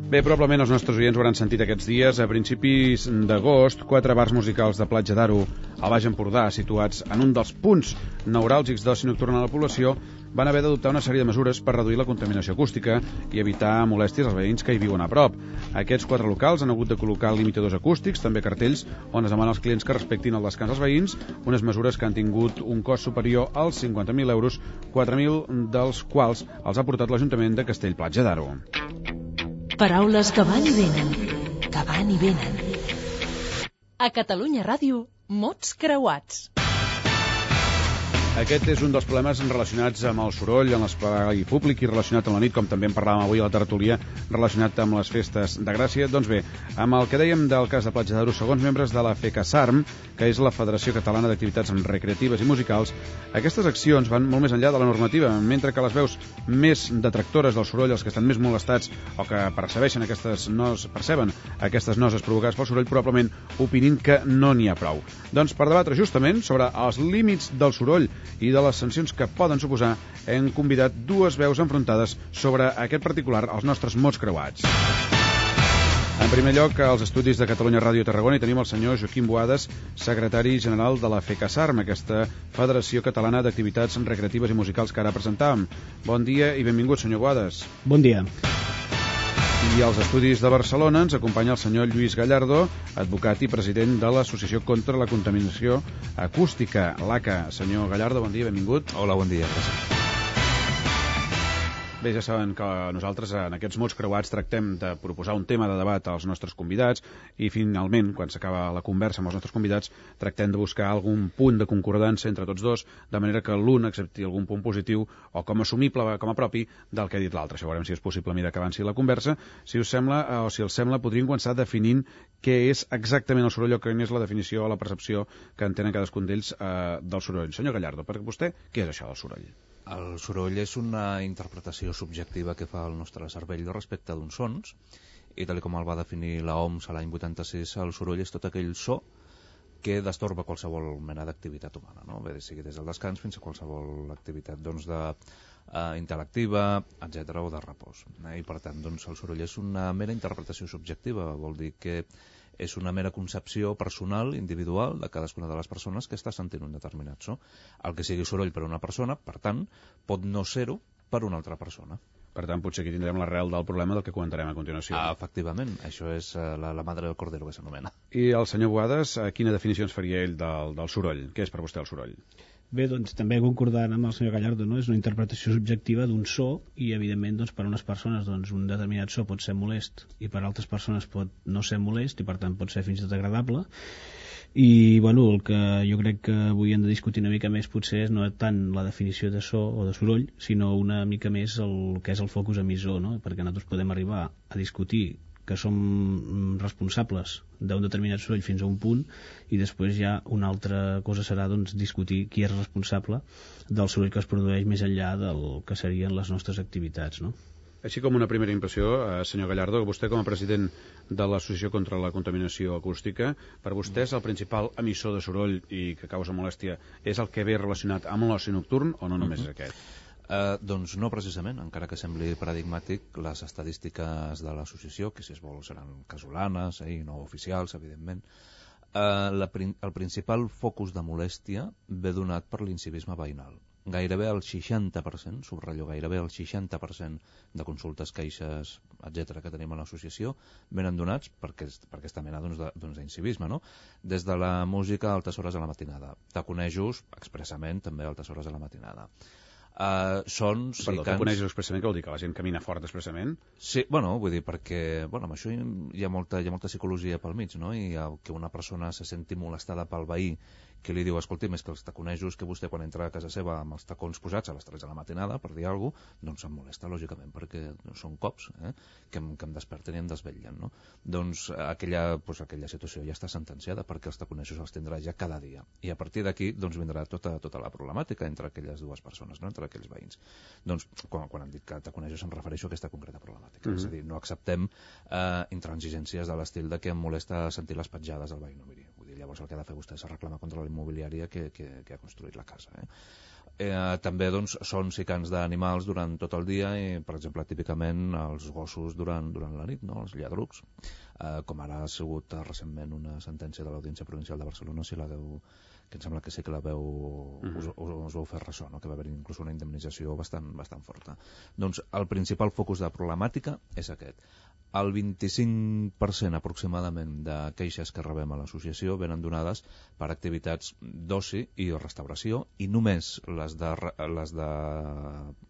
Bé, probablement els nostres oients ho hauran sentit aquests dies. A principis d'agost, 4 bars musicals de Platja d'Aro, al Baix Empordà, situats en un dels punts neuràlgics d'oci nocturn a la població, van haver d'adoptar una sèrie de mesures per reduir la contaminació acústica i evitar molèsties als veïns que hi viuen a prop. Aquests 4 locals han hagut de col·locar limitadors acústics, també cartells on es demana als clients que respectin el descans dels veïns, unes mesures que han tingut un cost superior als 50.000 euros, 4.000 dels quals els ha portat l'Ajuntament de Castell-Platja d'Aro. Paraules que van i venen, que van i venen. A Catalunya Ràdio, mots creuats. Aquest és un dels problemes relacionats amb el soroll en l'espai públic i relacionat amb la nit, com també en parlàvem avui a la tertúlia, relacionat amb les festes de Gràcia. Doncs bé, amb el que dèiem del cas de Platja d'Aro, segons membres de la FECASARM, que és la Federació Catalana d'Activitats Recreatives i Musicals, aquestes accions van molt més enllà de la normativa, mentre que les veus més detractores del soroll, els que estan més molestats o que perceben aquestes noses provocades pel soroll, probablement opinin que no n'hi ha prou. Doncs per debatre justament sobre els límits del soroll i de les sancions que poden suposar, hem convidat dues veus enfrontades sobre aquest particular als nostres mots creuats. En primer lloc, als estudis de Catalunya Ràdio Tarragona hi tenim el senyor Joaquim Boades, secretari general de la FECASARM, aquesta Federació Catalana d'Activitats Recreatives i Musicals que ara presentàvem. Bon dia i benvingut, senyor Boades. Bon dia. I als estudis de Barcelona ens acompanya el senyor Lluís Gallardo, advocat i president de l'Associació contra la Contaminació Acústica, l'ACA. Senyor Gallardo, bon dia, benvingut. Hola, bon dia, gràcies. Bé, ja saben que nosaltres en aquests mots creuats tractem de proposar un tema de debat als nostres convidats i finalment, quan s'acaba la conversa amb els nostres convidats, tractem de buscar algun punt de concordança entre tots dos, de manera que l'un accepti algun punt positiu o com a assumible, com a propi del que ha dit l'altre. Això veurem si és possible a mesura que avanci la conversa. Si us sembla, o si els sembla, podríem començar definint què és exactament el soroll o quina és la definició o la percepció que en tenen cadascun d'ells del soroll. Senyor Gallardo, per vostè, què és això del soroll? El soroll és una interpretació subjectiva que fa el nostre cervell respecte d'uns sons, i tal com el va definir l'OMS a l'any 86, el soroll és tot aquell so que destorba qualsevol mena d'activitat humana, no? Bé, sigui des del descans fins a qualsevol activitat intel·lectiva, etc., o de repòs. I per tant, el soroll és una mera interpretació subjectiva, vol dir que és una mera concepció personal, individual, de cadascuna de les persones que està sentint un determinat so. El que sigui soroll per a una persona, per tant, pot no ser-ho per a una altra persona. Per tant, potser aquí tindrem l'arrel del problema del que comentarem a continuació. Efectivament, això és la madre del cordero, que s'anomena. I el senyor Boades, quina definició ens faria ell del soroll? Què és per vostè el soroll? Bé, doncs també concordant amb el senyor Gallardo, no? És una interpretació subjectiva d'un so i, evidentment, per a unes persones un determinat so pot ser molest i per a altres persones pot no ser molest i, per tant, pot ser fins i tot agradable. I, el que jo crec que avui hem de discutir una mica més potser és no tant la definició de so o de soroll, sinó una mica més el que és el focus emissor, no? Perquè nosaltres podem arribar a discutir que som responsables d'un determinat soroll fins a un punt i després ja una altra cosa serà discutir qui és responsable del soroll que es produeix més enllà del que serien les nostres activitats, no? Així com una primera impressió, senyor Gallardo, vostè com a president de l'Associació contra la Contaminació Acústica, per vostè és el principal emissor de soroll i que causa molèstia és el que ve relacionat amb l'oci nocturn o no només és aquest? Doncs no precisament, encara que sembli paradigmàtic, les estadístiques de l'associació, que si es vol seran casolanes i no oficials, evidentment, el principal focus de molèstia ve donat per l'incivisme veïnal. Gairebé el 60%, subratllo, gairebé el 60% de consultes, queixes, etc. que tenim a l'associació venen donats per aquesta mena d'incivisme, no? Des de la música a altes hores de la matinada, taconejos expressament també a altes hores de la matinada. Sons Perdó, tu coneixes expressament, que vol dir que la gent camina fort expressament? Sí, vull dir, perquè amb això hi ha molta psicologia pel mig, no? I que una persona se senti molestada pel veí que li diu, escolti, més que els taconejos que vostè quan entra a casa seva amb els tacons posats a les 3 de la matinada, per dir alguna cosa, doncs em molesta, lògicament, perquè són cops que em desperten i em desvetllen, no? Doncs aquella situació ja està sentenciada, perquè els taconejos els tindrà ja cada dia. I a partir d'aquí vindrà tota la problemàtica entre aquelles dues persones, no? Entre aquells veïns. Doncs, quan em dic que taconejos em refereixo a aquesta concreta problemàtica. És a dir, no acceptem intransigències de l'estil de que em molesta sentir les petjades del veí. No, miri, vull dir, llavors el que ha de fer vostè és reclamar contra la immobiliària que ha construït la casa. També doncs, sons i cants d'animals durant tot el dia i, per exemple, típicament els gossos durant la nit, no? Els lladrucs, com ara ha sigut recentment una sentència de l'Audiència Provincial de Barcelona, si la veu, que em sembla que sí que la veu us vau fer ressò, no? Que va haver inclús una indemnització bastant forta. Doncs el principal focus de problemàtica és aquest. El 25% aproximadament de queixes que rebem a l'associació venen donades per activitats d'oci i restauració, i només les de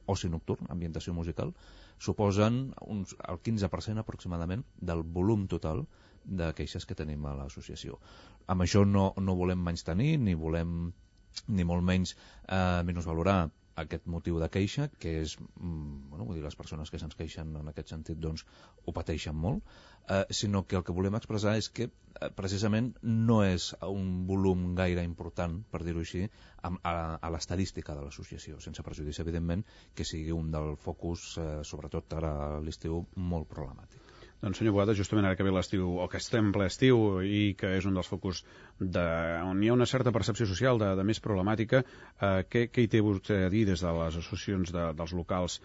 oci nocturn, ambientació musical, suposen el 15% aproximadament del volum total de queixes que tenim a l'associació. Amb això no volem menystenir ni volem ni molt menys menysvalorar aquest motiu de queixa, que és, vull dir, les persones que se'ns queixen en aquest sentit doncs ho pateixen molt, sinó que el que volem expressar és que precisament no és un volum gaire important, per dir-ho així, a l'estadística de l'associació, sense perjudici, evidentment, que sigui un del focus, sobretot ara a l'estiu, molt problemàtic. Doncs, senyor Boada, justament ara que ve l'estiu, o que estem ple estiu, i que és un dels focus on hi ha una certa percepció social de més problemàtica, què hi té vostè a dir des de les associacions dels locals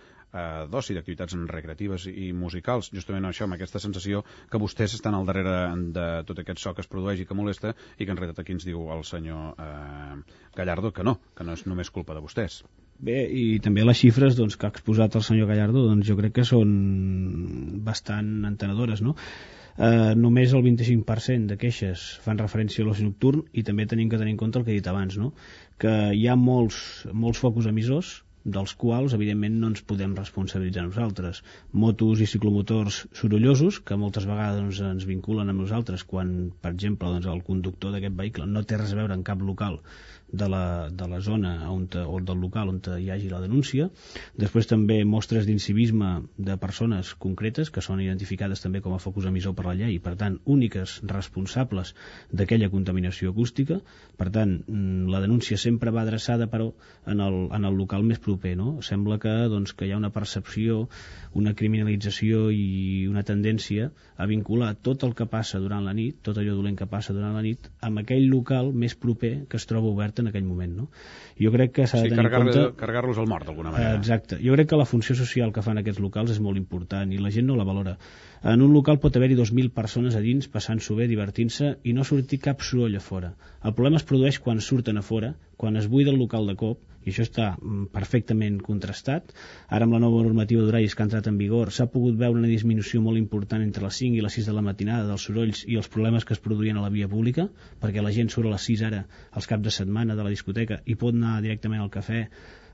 d'oci, d'activitats recreatives i musicals, justament això, amb aquesta sensació que vostès estan al darrere de tot aquest so que es produeix i que molesta, i que en realitat aquí ens diu el senyor Gallardo que no és només culpa de vostès. Bé, i també les xifres doncs, que ha exposat el senyor Gallardo doncs, jo crec que són bastant entenedores, no? Només el 25% de queixes fan referència a l'oci nocturn, i també tenim que tenir en compte el que he dit abans, no? Que hi ha molts focus emissors, dels quals, evidentment, no ens podem responsabilitzar nosaltres. Motos i ciclomotors sorollosos, que moltes vegades doncs, ens vinculen amb nosaltres, quan, per exemple, doncs, el conductor d'aquest vehicle no té res a veure en cap local de la zona o del local on hi hagi la denúncia. Després també mostres d'incivisme de persones concretes que són identificades també com a focus emissor per la llei, i per tant úniques responsables d'aquella contaminació acústica. Per tant, la denúncia sempre va adreçada però en el local més proper, no? Sembla que hi ha una percepció, una criminalització i una tendència a vincular tot el que passa durant la nit, tot allò dolent que passa durant la nit, amb aquell local més proper que es troba obert en aquell moment, no? Jo crec que s'ha de tenir en compte... carregar-los al mort, d'alguna manera. Exacte. Jo crec que la funció social que fan aquests locals és molt important i la gent no la valora. En un local pot haver-hi 2.000 persones a dins passant-s'ho bé, divertint-se, i no sortir cap soroll a fora. El problema es produeix quan surten a fora, quan es buida el local de cop, i això està perfectament contrastat. Ara amb la nova normativa d'horaris que ha entrat en vigor s'ha pogut veure una disminució molt important entre les 5 i les 6 de la matinada dels sorolls i els problemes que es produïen a la via pública, perquè la gent surt a les 6 ara als caps de setmana de la discoteca i pot anar directament al cafè,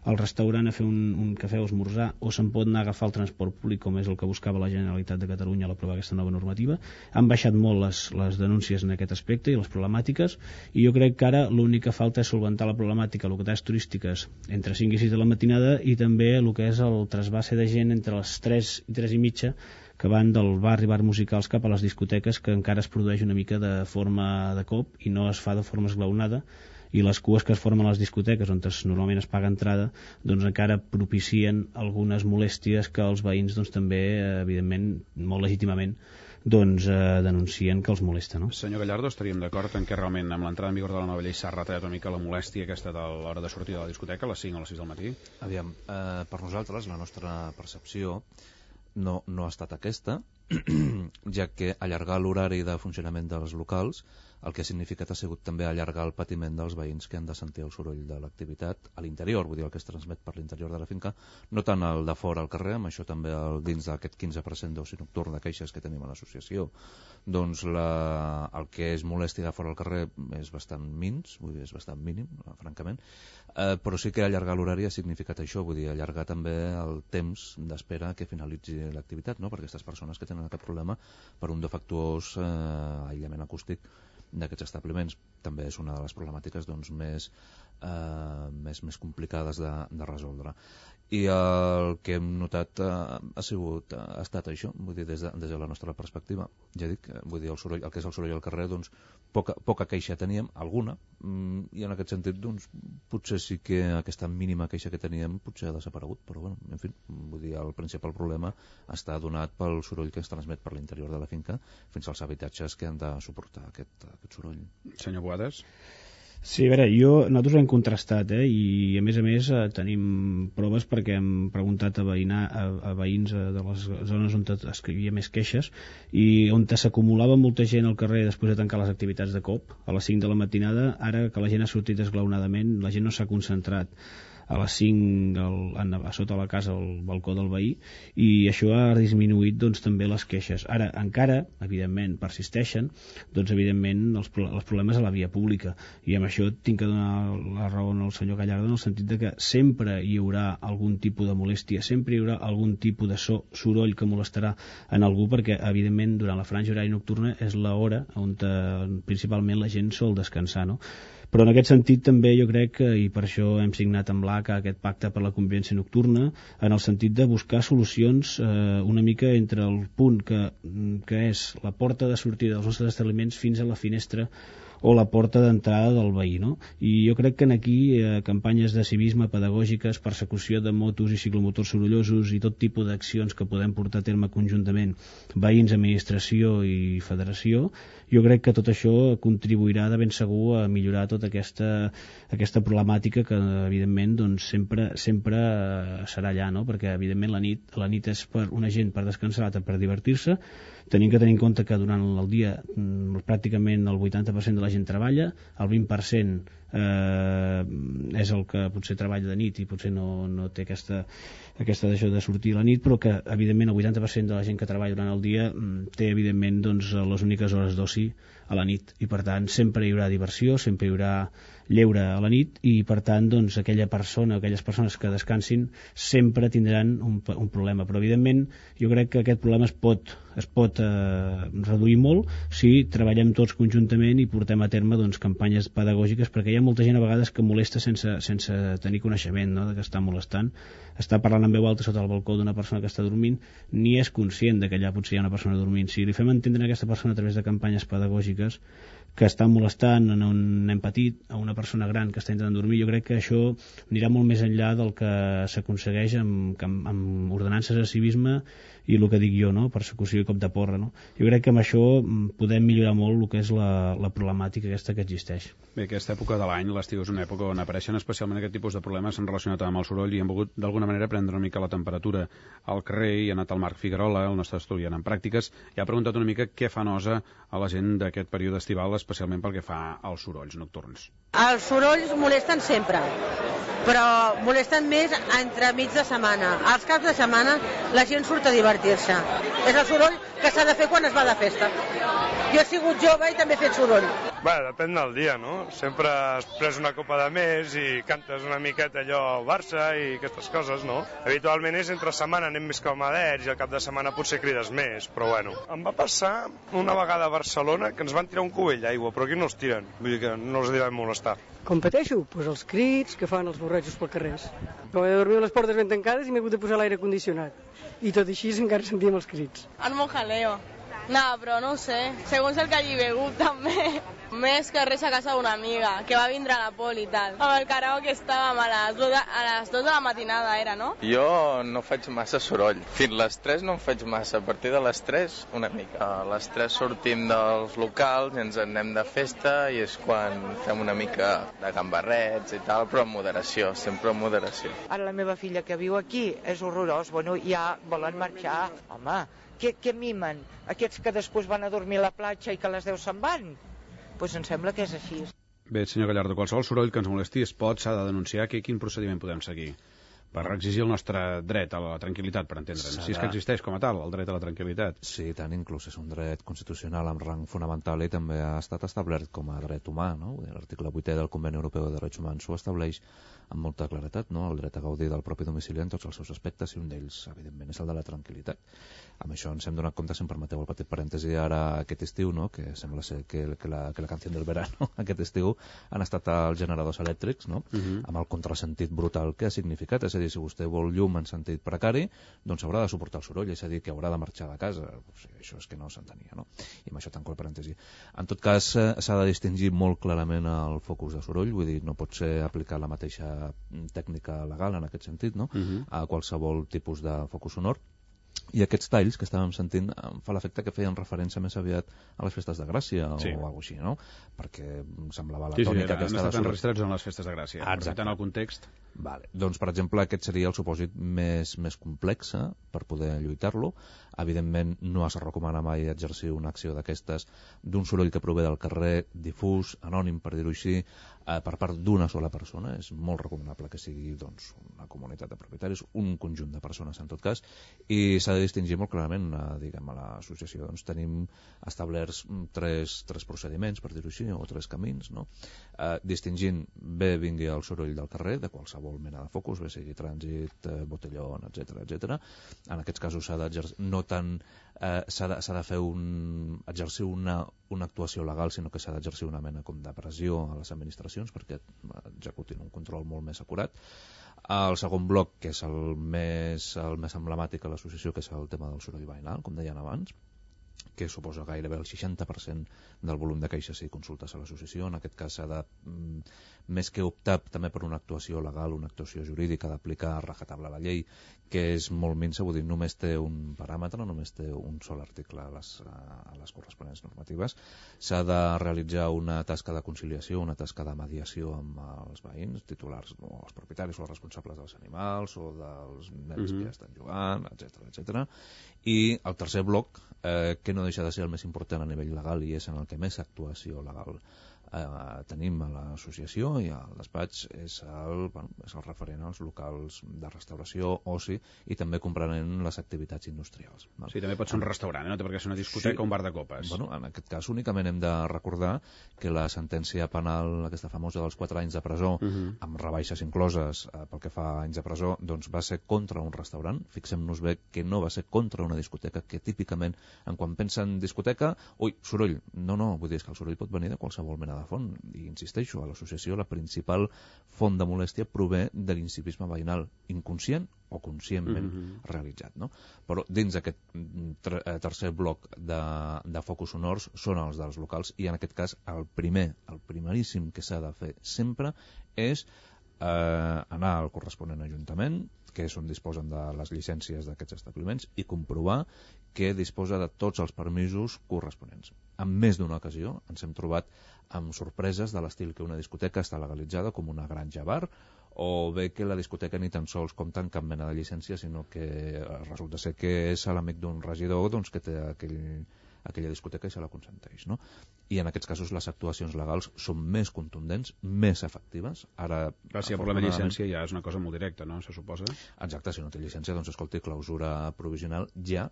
al restaurant a fer un cafè o esmorzar, o se'n pot anar a agafar el transport públic, com és el que buscava la Generalitat de Catalunya a l'aprovar aquesta nova normativa. Han baixat molt les denúncies en aquest aspecte i les problemàtiques, i jo crec que ara l'únic que falta és solventar la problemàtica a localitats turístiques entre 5 i 6 de la matinada, i també el que és el trasbase de gent entre les 3 i 3 i mitja que van del bar i bar musicals cap a les discoteques, que encara es produeix una mica de forma de cop i no es fa de forma esglaonada, i les cues que es formen a les discoteques on normalment es paga entrada doncs encara propicien algunes molèsties que els veïns doncs, també, evidentment, molt legítimament denuncien que els molesta, no? Senyor Gallardo, estaríem d'acord en que realment amb l'entrada en vigor de la nova llei s'ha retallat una mica la molèstia aquesta de l'hora de sortir de la discoteca a les 5 o les 6 del matí? Aviam, per nosaltres la nostra percepció no ha estat aquesta, ja que allargar l'horari de funcionament dels locals el que ha significat ha sigut també allargar el patiment dels veïns que han de sentir el soroll de l'activitat a l'interior, vull dir el que es transmet per l'interior de la finca, no tant el de fora al carrer, amb això també dins d'aquest 15% d'oci nocturn de queixes que tenim a l'associació, doncs el que és molèstia de fora al carrer és bastant mins, vull dir, és bastant mínim, francament, però sí que allargar l'horari ha significat això, vull dir, allargar també el temps d'espera que finalitzi l'activitat, no?, per aquestes persones que tenen aquest problema per un defectuós aïllament acústic d'aquests establiments. També és una de les problemàtiques doncs, més complicades de resoldre. I el que hem notat ha estat això, vull dir, des de la nostra perspectiva. Ja dic, vull dir, el que és el soroll al carrer, doncs, poca queixa teníem, alguna, i en aquest sentit, doncs, potser sí que aquesta mínima queixa que teníem potser ha desaparegut, però, bueno, en fi, vull dir, el principal problema està donat pel soroll que es transmet per l'interior de la finca fins als habitatges que han de suportar aquest soroll. Senyor Boades? Sí, a veure, nosaltres ho hem contrastat, i a més tenim proves perquè hem preguntat a veïns de les zones on hi havia més queixes i on s'acumulava molta gent al carrer després de tancar les activitats de cop a les 5 de la matinada. Ara que la gent ha sortit esglaonadament, la gent no s'ha concentrat a les 5 a sota la casa al balcó del veí, i això ha disminuït doncs, també les queixes. Ara, encara, evidentment, persisteixen evidentment els problemes a la via pública, i amb això tinc que donar la raó al senyor Gallardo en el sentit de que sempre hi haurà algun tipus de molèstia, sempre hi haurà algun tipus de soroll que molestarà en algú, perquè evidentment durant la franja horària nocturna és l'hora on principalment la gent sol descansar, no? Però en aquest sentit també jo crec i per això hem signat amb l'ACA aquest pacte per la convivència nocturna, en el sentit de buscar solucions una mica entre el punt que és la porta de sortida dels nostres establiments fins a la finestra o la porta d'entrada del veí, no? I jo crec que aquí campanyes de civisme pedagògiques, persecució de motos i ciclomotors sorollosos i tot tipus d'accions que podem portar a terme conjuntament veïns, administració i federació, jo crec que tot això contribuirà de ben segur a millorar tota aquesta problemàtica que evidentment doncs, sempre serà allà, no? Perquè evidentment la nit és per una gent per descansar, l'altra per divertir-se. Tenim que tenir en compte que durant el dia pràcticament el 80% de la gent treballa, el 20% és el que potser treballa de nit i potser no té aquesta deixó de sortir a la nit, però que evidentment el 80% de la gent que treballa durant el dia té evidentment doncs, les úniques hores d'oci a la nit, i per tant sempre hi haurà diversió, sempre hi haurà lleure a la nit, i per tant doncs, aquelles persones que descansin sempre tindran un problema. Però evidentment jo crec que aquest problema es pot reduir molt si treballem tots conjuntament i portem a terme doncs, campanyes pedagògiques, perquè hi ha molta gent a vegades que molesta sense tenir coneixement, no?, de que està molestant, està parlant en veu alta sota el balcó d'una persona que està dormint, ni és conscient de que allà potser hi ha una persona dormint. Si li fem entendre a aquesta persona a través de campanyes pedagògiques que està molestant en un nen petit, a una persona gran que està intentant dormir, jo crec que això anirà molt més enllà del que s'aconsegueix amb ordenances de civisme i el que dic jo, no?, persecució i cop de porra, no? Jo crec que amb això podem millorar molt el que és la problemàtica aquesta que existeix. Bé, aquesta època de l'any, l'estiu, és una època on apareixen especialment aquest tipus de problemes relacionats amb el soroll, i hem volgut d'alguna manera prendre una mica la temperatura al carrer, i ha anat el Marc Figuerola, el nostre estudiant en pràctiques, i ha preguntat una mica què fa nosa a la gent d'aquest període estival, especialment pel que fa als sorolls nocturns. Els sorolls molesten sempre, però molesten més entremig de setmana. Als caps de setmana la gent surt a divertir-se. És el soroll que s'ha de fer quan es va de festa. Jo he sigut jove i també he fet soroll. Bé, depèn del dia, no? Sempre has pres una copa de més i cantes una miqueta allò Barça i aquestes coses, no? Habitualment és entre setmana anem més calmadets i al cap de setmana potser crides més, però bueno. Em va passar una vegada a Barcelona que ens van tirar un cubell d'aigua, però aquí no els tiren, vull dir que no els devem molestar. Com pateixo? Doncs els crits que fan els borratxos pel carrer. Però he de dormir les portes ben tancades i m'he hagut de posar l'aire condicionat. I tot així encara sentíem els crits. El mojaleo. No, però no ho sé. Segons el que hagi begut, també. Més que res a casa d'una amiga, que va vindre a la poli i tal. Amb el karaoke estàvem a les 2 de la matinada, era, no? Jo no faig massa soroll. Fins les 3 no en faig massa. A partir de les 3, una mica. A les 3 sortim dels locals i ens anem de festa i és quan fem una mica de gambarrets i tal, però amb moderació, sempre amb moderació. Ara la meva filla que viu aquí és horrorós. Bueno, ja volen marxar. Home, què mimen? Aquests que després van a dormir a la platja i que a les 10 se'n van? Doncs em sembla que és així. Bé, senyor Gallardo, qualsevol soroll que ens molesti s'ha de denunciar. Quin procediment podem seguir per exigir el nostre dret a la tranquil·litat, per entendre'ns? Si és que existeix com a tal, el dret a la tranquil·litat. Sí, tant, inclús és un dret constitucional amb rang fonamental i també ha estat establert com a dret humà, no? L'article 8è del Conveni Europeu de Drets Humans ho estableix amb molta claretat, no?, el dret a gaudir del propi domicili en tots els seus aspectes, i un d'ells, evidentment, és el de la tranquil·litat. Amb això ens hem donat compte, si em permeteu el petit parèntesi, ara aquest estiu, no?, que sembla ser que la canció del verano aquest estiu han estat els generadors elèctrics, no?, amb el contrasentit brutal que ha significat. És a dir, si vostè vol llum en sentit precari, doncs haurà de suportar el soroll, és a dir, que haurà de marxar de casa. O sigui, això és que no s'entenia, no? I amb això tanco el parèntesi. En tot cas, s'ha de distingir molt clarament el focus de soroll, vull dir, no pot ser aplicar la mateixa tècnica legal en aquest sentit, no?, a qualsevol tipus de focus sonor. I aquests talls que estàvem sentint em fa l'efecte que feien referència més aviat a les festes de Gràcia o alguna cosa així, no? Perquè semblava la tònica aquesta... han estat enregistrats en les festes de Gràcia, aprofitant el context. Vale. Doncs, per exemple, aquest seria el supòsit més complex per poder lluitar-lo. Evidentment, no es recomana mai exercir una acció d'aquestes d'un soroll que prové del carrer, difús, anònim, per dir-ho així, per part d'una sola persona. És molt recomanable que sigui una comunitat de propietaris, un conjunt de persones en tot cas, i s'ha de distingir molt clarament, diguem, a l'associació. Tenim establerts tres procediments, per dir-ho així, o tres camins, no? Distingint bé vingui el soroll del carrer, de qualsevol mena de focus, bé sigui trànsit, botellón, etc. En aquests casos s'ha d'exercir, no tant s'ha de fer exercir una actuació legal, sinó que s'ha d'exercir una mena com de pressió a les administracions perquè executin un control molt més acurat. El segon bloc, que és el més emblemàtic a l'associació, que és el tema del soroll veïnal, com deien abans, que suposa gairebé el 60% del volum de queixes i consultes a l'associació. En aquest cas s'ha de, més que optar també per una actuació legal, una actuació jurídica, d'aplicar a rajatabla la llei, que és molt minsa, vull dir, només té un paràmetre, només té un sol article a les corresponents normatives. S'ha de realitzar una tasca de conciliació, una tasca de mediació amb els veïns, titulars, o els propietaris o els responsables dels animals o dels nens que ja estan jugant, etc. I el tercer bloc, que no deixa de ser el més important a nivell legal i és en el que més actuació legal tenim a l'associació i al despatx, és el referent als locals de restauració, oci i també comprenent les activitats industrials. Sí, també pot ser un restaurant, no té per què ser una discoteca o un bar de copes. En aquest cas únicament hem de recordar que la sentència penal, aquesta famosa dels 4 anys de presó, amb rebaixes incloses pel que fa a anys de presó, doncs va ser contra un restaurant. Fixem-nos bé que no va ser contra una discoteca, que típicament, quan pensen discoteca, soroll. No, vull dir, és que el soroll pot venir de qualsevol mena de font, i insisteixo, a l'associació la principal font de molèstia prové de l'incivisme veïnal inconscient o conscientment realitzat, no? Però dins d'aquest tercer bloc de focus sonors són els dels locals, i en aquest cas el primeríssim que s'ha de fer sempre és anar al corresponent ajuntament, que és on disposen de les llicències d'aquests establiments, i comprovar que disposa de tots els permisos corresponents. En més d'una ocasió ens hem trobat amb sorpreses de l'estil que una discoteca està legalitzada com una granja bar, o bé que la discoteca ni tan sols compta amb cap mena de llicència, sinó que resulta ser que és l'amic d'un regidor que té aquella discoteca i se la consenteix, no? I en aquests casos les actuacions legals són més contundents, més efectives. Ara, si el problema de llicència ja és una cosa molt directa, no? Se suposa? Exacte, si no té llicència, doncs escolti, clausura provisional ja,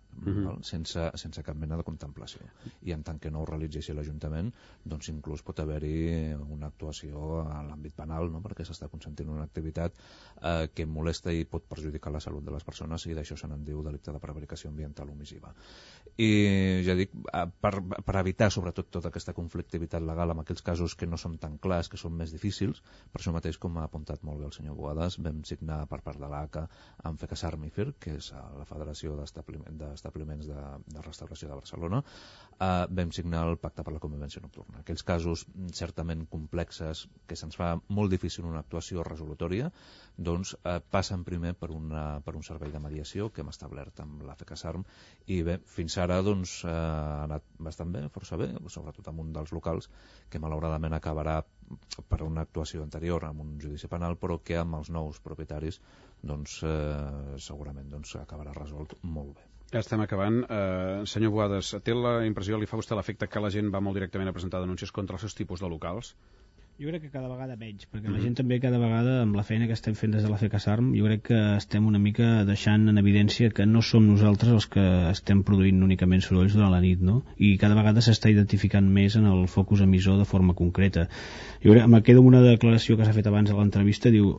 sense cap mena de contemplació. I en tant que no ho realitzi l'Ajuntament, doncs inclús pot haver-hi una actuació a l'àmbit penal, no? Perquè s'està consentint una activitat que molesta i pot perjudicar la salut de les persones, i d'això se n'en diu delicte de prevaricació ambiental omissiva. I ja dic, per evitar sobretot tota aquesta conflictivitat legal en aquells casos que no són tan clars, que són més difícils, per això mateix, com ha apuntat molt bé el senyor Boades, vam signar per part de l'ACA amb FECASAR MIFIR, que és la Federació d'Establiments de Restauració de Barcelona, vam signar el Pacte per la Convivència Nocturna. Aquells casos certament complexes, que se'ns fa molt difícil una actuació resolutòria, doncs passen primer per un servei de mediació que hem establert amb la FECASARM, i bé, fins ara doncs ha anat bastant bé, força bé, sobretot amb un dels locals que malauradament acabarà per una actuació anterior amb un judici penal, però que amb els nous propietaris doncs segurament acabarà resolt molt bé. Ja estem acabant. Senyor Boades, té la impressió, li fa vostè l'efecte que la gent va molt directament a presentar denúncies contra els seus tipus de locals? Jo crec que cada vegada menys, perquè la gent també cada vegada, amb la feina que estem fent des de la FECASARM, jo crec que estem una mica deixant en evidència que no som nosaltres els que estem produint únicament sorolls durant la nit, no? I cada vegada s'està identificant més en el focus emissor de forma concreta. Jo crec, me quedo amb una declaració que s'ha fet abans a l'entrevista, diu,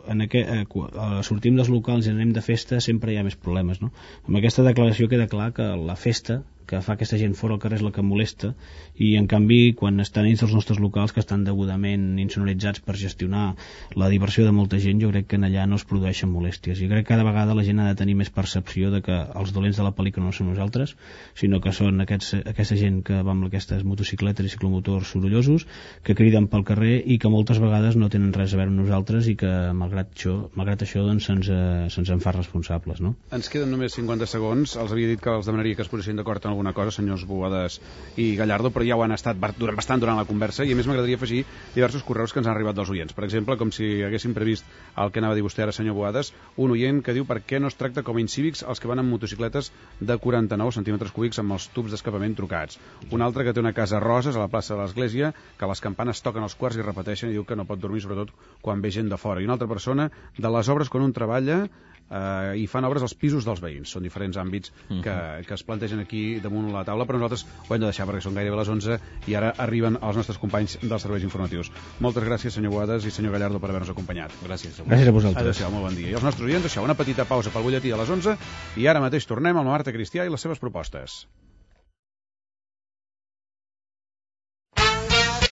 sortim dels locals i anem de festa, sempre hi ha més problemes, no? Amb aquesta declaració queda clar que la festa que fa aquesta gent fora al carrer és la que molesta, i en canvi quan estan dins dels nostres locals, que estan degudament insonoritzats per gestionar la diversió de molta gent, jo crec que en allà no es produeixen molèsties. I crec que cada vegada la gent ha de tenir més percepció de que els dolents de la pel·lícula no són nosaltres, sinó que són aquesta gent que va amb aquestes motocicletes i ciclomotors sorollosos, que criden pel carrer i que moltes vegades no tenen res a veure amb nosaltres i que malgrat això doncs, se'ns en fa responsables, no? Ens queden només 50 segons. Els havia dit que els demanaria que es posessin d'acord en alguna cosa, senyors Boades i Gallardo, però ja ho han estat bastant durant la conversa, i a més m'agradaria afegir diversos correus que ens han arribat dels oients. Per exemple, com si haguéssim previst el que anava a dir vostè ara, senyor Boades, un oient que diu per què no es tracta com a incívics els que van amb motocicletes de 49 centímetres cúbics amb els tubs d'escapament trucats. Un altre que té una casa a Roses, a la plaça de l'Església, que les campanes toquen als quarts i repeteixen, i diu que no pot dormir, sobretot quan ve gent de fora. I una altra persona de les obres quan un treballa i fan obres als pisos dels veïns. Són diferents àmbits que es plantegen aquí damunt la taula, però nosaltres ho hem de deixar perquè són gairebé les 11 i ara arriben els nostres companys dels serveis informatius. Moltes gràcies, senyor Boades i senyor Gallardo, per haver-nos acompanyat. Gràcies a vosaltres. Adéu-siau, molt bon dia. I als nostres oients, això, una petita pausa pel butlletí a les 11 i ara mateix tornem amb la Marta Cristià i les seves propostes.